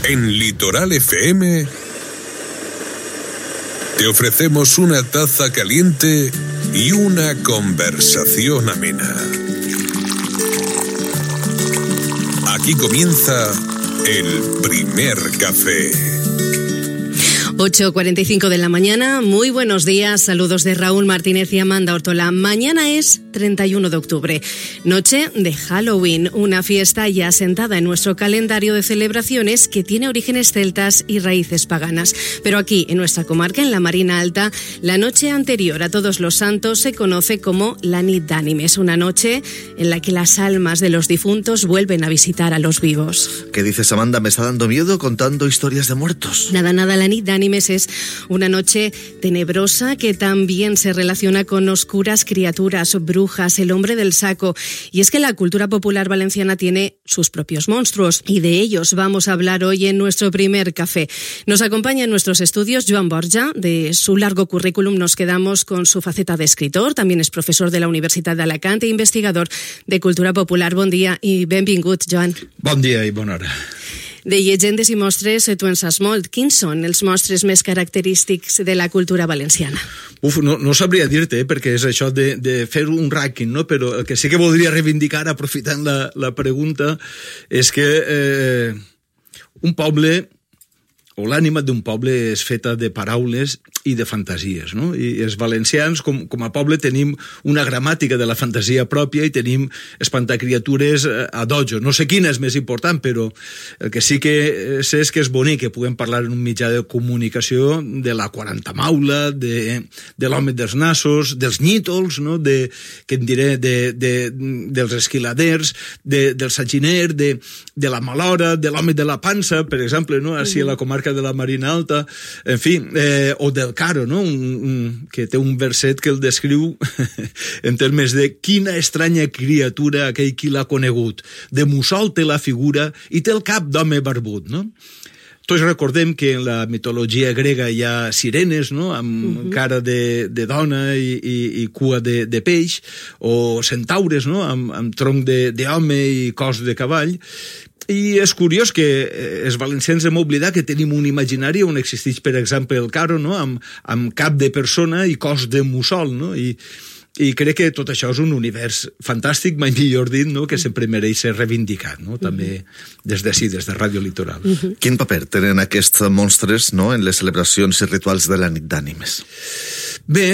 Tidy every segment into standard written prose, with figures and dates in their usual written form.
En Litoral FM te ofrecemos una taza caliente y una conversación amena. Aquí comienza el primer café. 8:45 de la mañana, muy buenos días, saludos de Raúl Martínez y Amanda Ortola. Mañana es 31 de octubre, noche de Halloween, una fiesta ya asentada en nuestro calendario de celebraciones que tiene orígenes celtas y raíces paganas. Pero aquí, en nuestra comarca, en la Marina Alta, la noche anterior a Todos los Santos se conoce como la Nit d'Ànimes, una noche en la que las almas de los difuntos vuelven a visitar a los vivos. ¿Qué dices, Amanda? Me está dando miedo contando historias de muertos. Nada, la Nit d'Ànimes es una noche tenebrosa que también se relaciona con oscuras criaturas, brujas, el hombre del saco. Y es que la cultura popular valenciana tiene sus propios monstruos y de ellos vamos a hablar hoy en nuestro primer café. Nos acompaña en nuestros estudios Joan Borja. De su largo currículum nos quedamos con su faceta de escritor. También es profesor de la Universitat d'Alacant e investigador de cultura popular. Bon dia i benvingut, Joan. Bon dia i bona hora. De llegendes i mostres tu en saps molt. Quins són els mostres més característics de la cultura valenciana? No sabria dir-te, perquè és això de fer un rànquing, no? Però el que sí que voldria reivindicar, aprofitant la pregunta, és que un poble, o l'ànima d'un poble és feta de paraules i de fantasies, no? I els valencians, com a poble, tenim una gramàtica de la fantasia pròpia i tenim espantacriatures a dojo. No sé quina és més important, però el que sí que sé és que és bonic que puguem parlar en un mitjà de comunicació de la 40 maula, de l'home dels nassos, dels nítols, no? Que en diré, dels esquiladers, del saginer, de la malora, de l'home de la pansa, per exemple, no? Així a la comarca de la Marina Alta, en fi, o del Caro, no? Que té un verset que el descriu en termes de quina estranya criatura aquell qui l'ha conegut. De mussol té la figura i té el cap d'home barbut, no? Tots recordem que en la mitologia grega hi ha sirenes, no? Amb cara de dona i cua de peix, o centaures, no? Amb tronc d'home i cos de cavall. I és curiós que els valencians hem oblidat que tenim un imaginari on existeix, per exemple, el Caro, no? Amb cap de persona i cos de mussol, no? I crec que tot això és un univers fantàstic, mai millor dit, no? Que sempre mereix ser reivindicat, no? També des d'ací, des de Ràdio Litoral. Quin paper tenen aquests monstres, no? En les celebracions i rituals de la Nit d'Ànimes? Bé,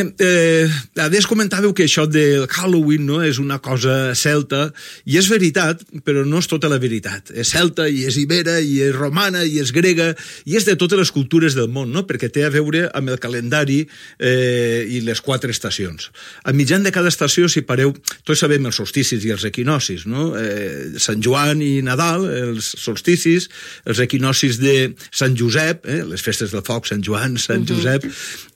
adés comentàveu que això del Halloween, no? És una cosa celta, i és veritat, però no és tota la veritat. És celta, i és ibera, i és romana, i és grega, i és de totes les cultures del món, no? Perquè té a veure amb el calendari i les 4 estacions. A mitjan de cada estació, si pareu, tots sabem els solsticis i els equinocis, no? Sant Joan i Nadal, els solsticis, els equinocis de Sant Josep, les festes del foc, Sant Joan, Sant Josep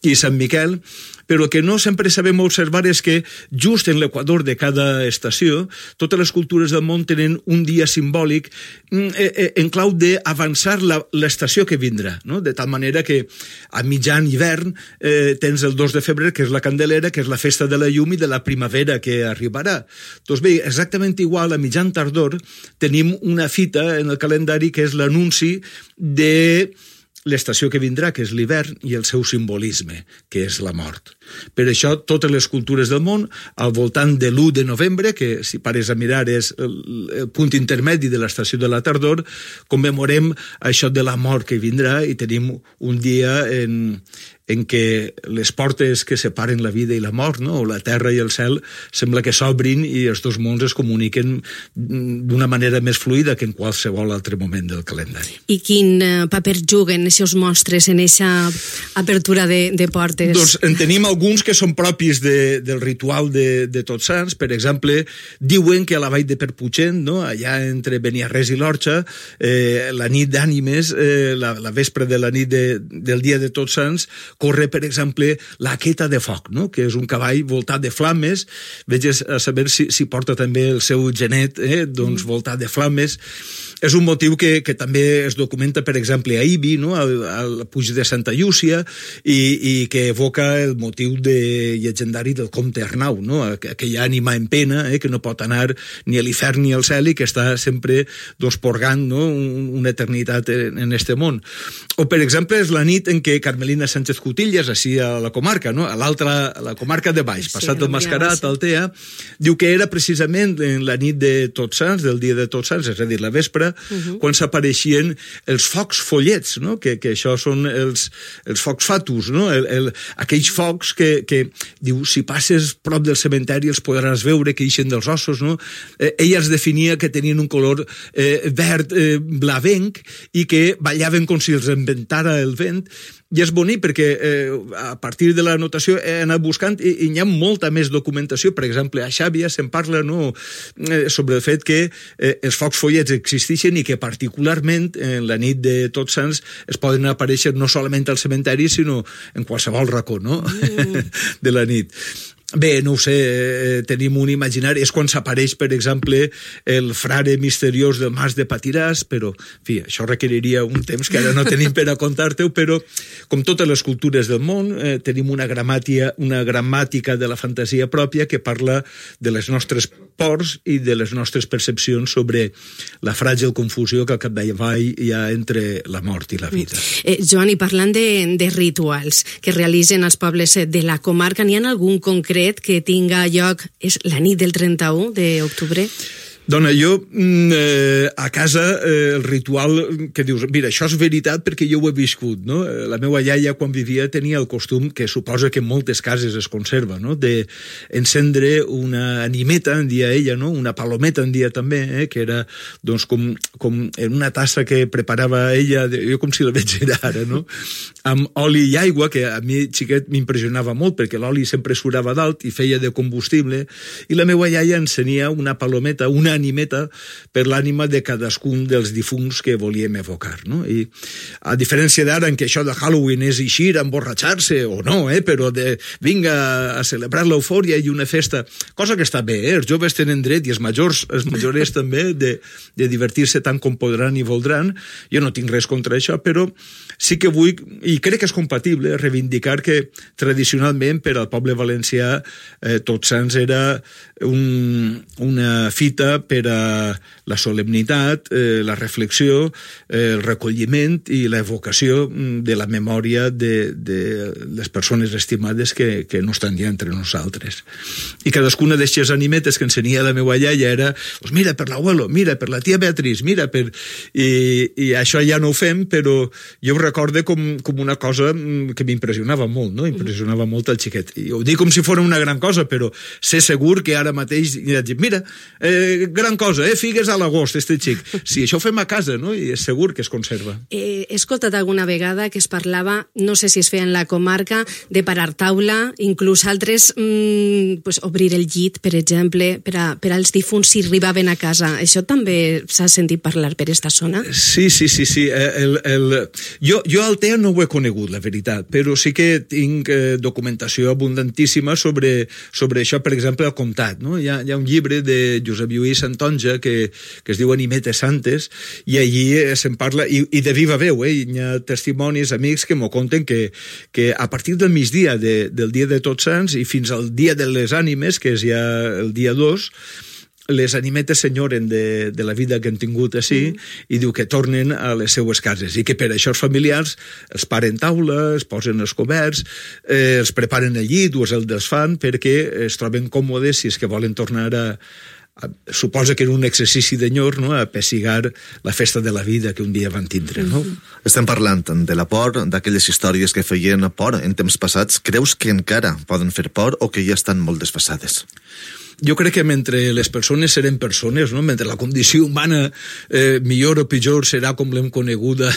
i Sant Miquel. Però el que no sempre sabem observar és que just en l'equador de cada estació totes les cultures del món tenen un dia simbòlic en clau d'avançar l'estació que vindrà, no? De tal manera que a mitjan hivern tens el 2 de febrer, que és la Candelera, que és la festa de la llum i de la primavera que arribarà. Doncs bé, exactament igual, a mitjan tardor tenim una fita en el calendari que és l'anunci de l'estació que vindrà, que és l'hivern, i el seu simbolisme, que és la mort. Per això, totes les cultures del món, al voltant de l'1 de novembre, que si pares a mirar és el punt intermedi de l'estació de la tardor, commemorem això de la mort que vindrà i tenim un dia en què les portes que separen la vida i la mort, no? O la terra i el cel, sembla que s'obrin i els dos mons es comuniquen d'una manera més fluida que en qualsevol altre moment del calendari. I quin paper juguen aquests monstres en aquesta apertura de portes? Doncs en tenim alguns que són propis del ritual de Tots Sants. Per exemple, diuen que a la vall de Perputxent, no? Allà entre Beniarrés i l'Orxa, la nit d'Ànimes, la vespre de la nit del dia de Tots Sants, corre, per exemple, la Queta de Foc, no? Que és un cavall voltat de flames. Veges a saber si porta també el seu genet, doncs voltat de flames. És un motiu que també es documenta, per exemple, a Ibi, no? al Puig de Santa Llúcia, i que evoca el motiu llegendari del comte Arnau, no? Aquella ànima en pena, que no pot anar ni a l'hivern ni al cel i que està sempre porgant, no? Una eternitat en este món. O, per exemple, és la nit en què Carmelina Sánchez Cutillas, així a la comarca, no? A la comarca de baix, passat del Mascarat, Altea, diu que era precisament en la nit de Tots Sants, del dia de Tots Sants, és a dir, la vespre, quan s'apareixien els focs follets, no? Que això són els focs fatus, no? Aquells focs que diu, si passes prop del cementeri els podràs veure que ixen dels ossos, no? Ella els definia que tenien un color verd blavenc i que ballaven com si els inventara el vent. I és bonic perquè a partir de la notació he anat buscant i hi ha molta més documentació. Per exemple, a Xàbia se'n parla, no, sobre el fet que els focs follets existeixen i que particularment en la nit de Tots Sants es poden aparèixer no solament al cementeri sinó en qualsevol racó, no? De la nit. Bé, no ho sé, tenim un imaginari, és quan s'apareix, per exemple, el frare misteriós del Mas de Patiràs, però, en fi, això requeriria un temps que ara no tenim per a contar-te-ho, però, com totes les cultures del món, tenim una gramàtica de la fantasia pròpia que parla de les nostres pors i de les nostres percepcions sobre la fràgil confusió que al capdavall hi ha entre la mort i la vida. Joan, i parlant de rituals que realitzen els pobles de la comarca, n'hi ha algun concret que tinga lloc és la nit del 31 d'octubre? Dona, jo a casa el ritual que dius, mira, això és veritat perquè jo ho he viscut, no? La meva iaia quan vivia tenia el costum, que suposa que en moltes cases es conserva, no? De encendre una animeta, en dia ella, no? Una palometa en dia també, que era doncs com en una tassa que preparava ella, jo com si la veig ara, no? Amb oli i aigua, que a mi xiquet m'impressionava molt perquè l'oli sempre surava dalt i feia de combustible, i la meva iaia encenia una palometa, una animeta per l'ànima de cadascun dels difunts que volíem evocar, no? I a diferència d'ara en què això de Halloween és eixir, emborratxar-se o no, però de vinga a celebrar l'eufòria i una festa, cosa que està bé, els joves tenen dret i els majors també de divertir-se tant com podran i voldran. Jo no tinc res contra això, però sí que vull, i crec que és compatible, reivindicar que tradicionalment per al poble valencià Tots Sants era una fita per a la solemnitat, la reflexió, el recolliment i l'evocació de la memòria de les persones estimades que no estan ja entre nosaltres. I cadascuna d'aquestes animetes que ensenia la meva iaia era, pues mira per l'abuelo, mira per la tia Beatriz, mira per... I això ja no ho fem, però jo ho recordo com una cosa que m'impressionava molt, no? Impressionava molt el xiquet. I ho dic com si fos una gran cosa, però sé segur que ara mateix mira, gran cosa, figues a l'agost, este xic. Sí, això ho fem a casa, no? I és segur que es conserva. He escoltat alguna vegada que es parlava, no sé si es feia en la comarca, de parar taula, inclús altres obrir el llit, per exemple, per als difunts si arribaven a casa. Això també s'ha sentit parlar per esta zona? Sí. Jo al TEA no ho he conegut, la veritat, però sí que tinc documentació abundantíssima sobre això, per exemple, al Comtat, no? Hi ha un llibre de Josep Lluís Santonja que es diu Animetes Santes, i allí se'n parla, i de viva veu, hi ha testimonis, amics que m'ho conten que a partir del migdia del dia de Tots Sants i fins al dia de les ànimes, que és ja el dia 2, les animetes s'enyoren de la vida que han tingut així i diu que tornen a les seues cases i que per això els familiars els paren taula, es posen els coberts, els preparen el llit o el desfan perquè es troben còmodes si és que volen tornar suposa que en un exercici d'enyor, no? A pessigar la festa de la vida que un dia van tindre, no? Estem parlant de la por, d'aquelles històries que feien por en temps passats. Creus que encara poden fer por o que ja estan molt desfasades? Jo crec que mentre les persones serem persones, no? Mentre la condició humana millor o pitjor serà com l'hem coneguda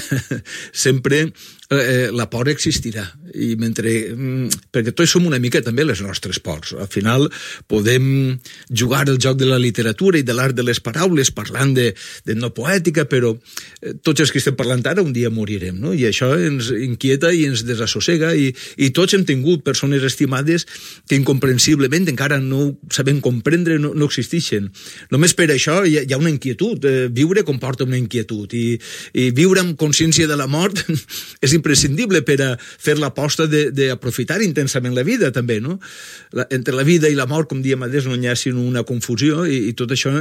sempre, la por existirà. I perquè tots som una mica també les nostres pors. Al final podem jugar el joc de la literatura i de l'art de les paraules parlant de no poètica, però tots els que estem parlant ara un dia morirem, no? I això ens inquieta i ens desassossega i tots hem tingut persones estimades que incomprensiblement encara no sabem comprendre no existeixen. Només per això hi ha una inquietud. Viure comporta una inquietud i viure amb consciència de la mort és imprescindible per a fer l'aposta d'aprofitar intensament la vida, també, no? Entre la vida i la mort, com diem adés, no hi ha sinó una confusió i tot això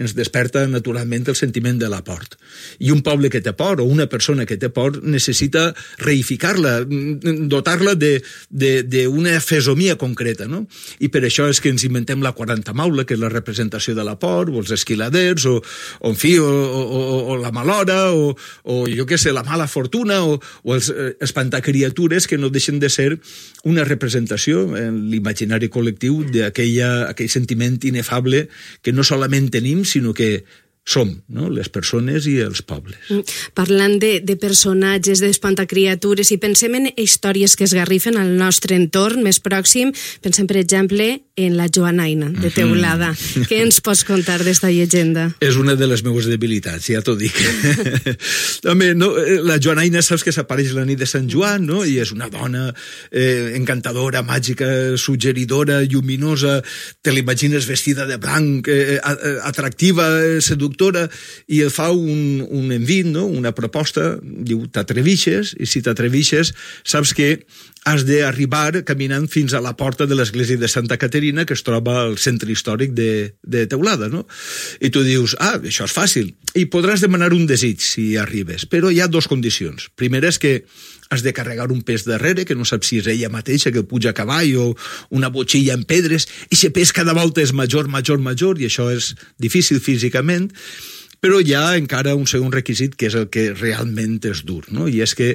ens desperta naturalment el sentiment de la por. I un poble que té por, o una persona que té por, necessita reificar-la, dotar-la d'una fesomia concreta, no? I per això és que ens inventem la 40 maula, que és la representació de la por, o els esquiladers, o en fi, o la malhora, o jo què sé, la mala fortuna, o els espantacriatures que no deixen de ser una representació en l'imaginari col·lectiu d'aquell sentiment inefable que no solament tenim, sinó que som, no? Les persones i els pobles. Parlant de personatges, d'espantacriatures, i pensem en històries que esgarrifen al nostre entorn més pròxim, pensem, per exemple, en la Joanaina, de Teulada. Què ens pots contar d'esta llegenda? És una de les meves debilitats, ja t'ho dic. Home, no, la Joanaina saps que s'apareix la nit de Sant Joan, no? I és una dona encantadora, màgica, suggeridora, lluminosa, te l'imagines vestida de blanc, atractiva, seductora, i el fa un envit, no? Una proposta, diu, t'atrevixes, i si t'atrevixes saps que has d'arribar caminant fins a la porta de l'església de Santa Caterina, que es troba al centre històric de Teulada, no? I tu dius, això és fàcil, i podràs demanar un desig si arribes, però hi ha dues condicions. Primera és que has de carregar un pes darrere, que no saps si és ella mateixa que puja a cavall o una botxilla en pedres, i aquest pes cada volta és major, i això és difícil físicament, però hi ha encara un segon requisit que és el que realment és dur, no? I és que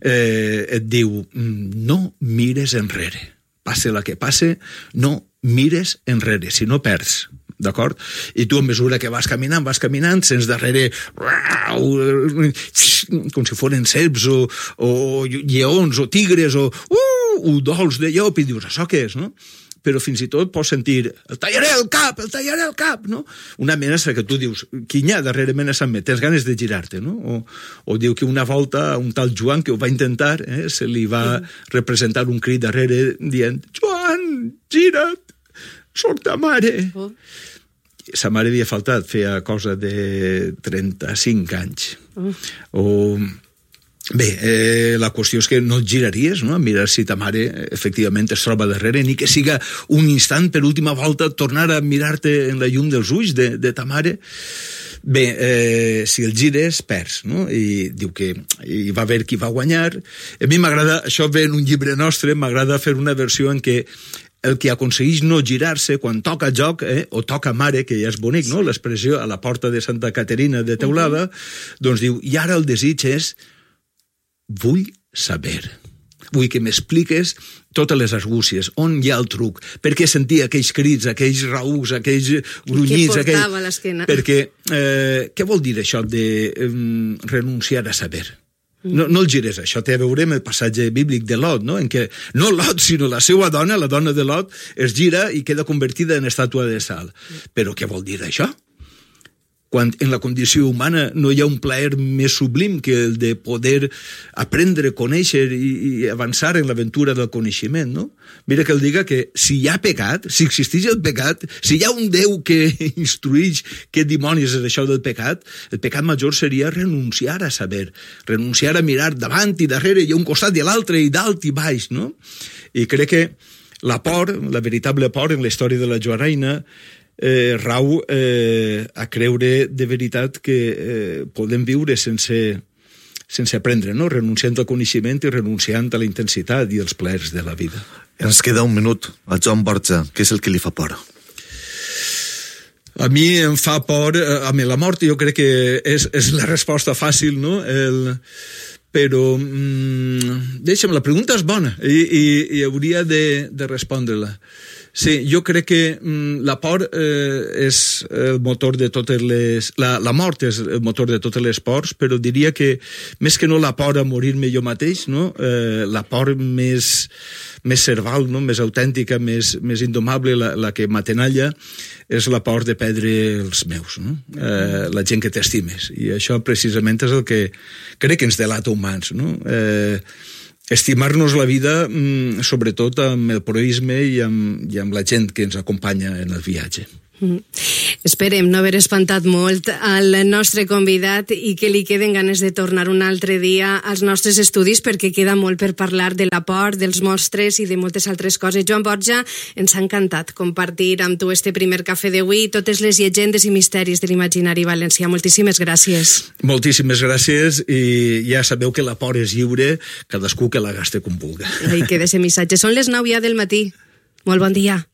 et diu, no mires enrere, passe la que passe, no mires enrere, si no perds. D'acord? I tu, a mesura que vas caminant, sents darrere com si foren serps o lleons o tigres o udols de llop, i dius, això què és, no? Però fins i tot pots sentir el tallaré el cap, no? Una amenaça que tu dius, quin hi ha darrerament a Sant Met? Tens ganes de girar-te, no? O diu que una volta a un tal Joan que ho va intentar, se li va representar un crit darrere dient, Joan, gira't, soc ta mare. Sa mare havia faltat, feia cosa de 35 anys. Bé, la qüestió és que no et giraries, no? A mirar si ta mare efectivament es troba darrere, ni que siga un instant per última volta tornar a mirar-te en la llum dels ulls de ta mare. Bé, si el gires, perds, no? I diu que hi va haver qui va guanyar. A mi m'agrada, això ve en un llibre nostre, m'agrada fer una versió en què el que aconsegueix no girar-se quan toca joc, o toca mare, que ja és bonic, no? L'expressió a la porta de Santa Caterina de Teulada, doncs diu, i ara el desig és, vull saber, vull que m'expliques totes les argúcies, on hi ha el truc, per què sentia aquells crits, aquells raucs, aquells grunyits, què portava a l'esquena? Perquè, què vol dir això de renunciar a saber? No el gires, això té a veure amb el passatge bíblic de Lot, no? En què no Lot, sinó la seva dona, la dona de Lot, es gira i queda convertida en estàtua de sal. Però què vol dir això? Quan en la condició humana no hi ha un plaer més sublim que el de poder aprendre, conèixer i avançar en l'aventura del coneixement, no? Mira que el diga que si hi ha pecat, si existeix el pecat, si hi ha un Déu que instrueix què dimonis és això del pecat, el pecat major seria renunciar a saber, renunciar a mirar davant i darrere i a un costat i a l'altre i dalt i baix, no? I crec que la por, la veritable por en la història de la Joanaina, rau a creure de veritat que podem viure sense aprendre, no? Renunciant al coneixement i renunciant a la intensitat i els plaers de la vida. Ens queda un minut. A Joan Borja, què és el que li fa por? A mi em fa por, a mi la mort jo crec que és la resposta fàcil, no? Però deixa'm, la pregunta és bona i hauria de respondre-la. Sí, jo crec que la por és el motor de totes les... La mort és el motor de totes les pors, però diria que més que no la por a morir-me jo mateix, no? La por més serval, no? Més autèntica, més indomable, la que m'atenalla, és la por de perdre els meus, no? La gent que t'estimes. I això precisament és el que crec que ens delata humans, no? estimar-nos la vida, sobretot amb el proisme i amb la gent que ens acompanya en el viatge. Esperem no haver espantat molt al nostre convidat i que li queden ganes de tornar un altre dia als nostres estudis, perquè queda molt per parlar de la por, dels monstres i de moltes altres coses. Joan Borja, ens ha encantat compartir amb tu este primer cafè d'avui i totes les llegendes i misteris de l'imaginari valencià. Moltíssimes gràcies. Moltíssimes gràcies, i ja sabeu que la por és lliure, cadascú que la gaste com vulga. Ahí queda ese missatge. Són les 9 ja del matí. Molt bon dia.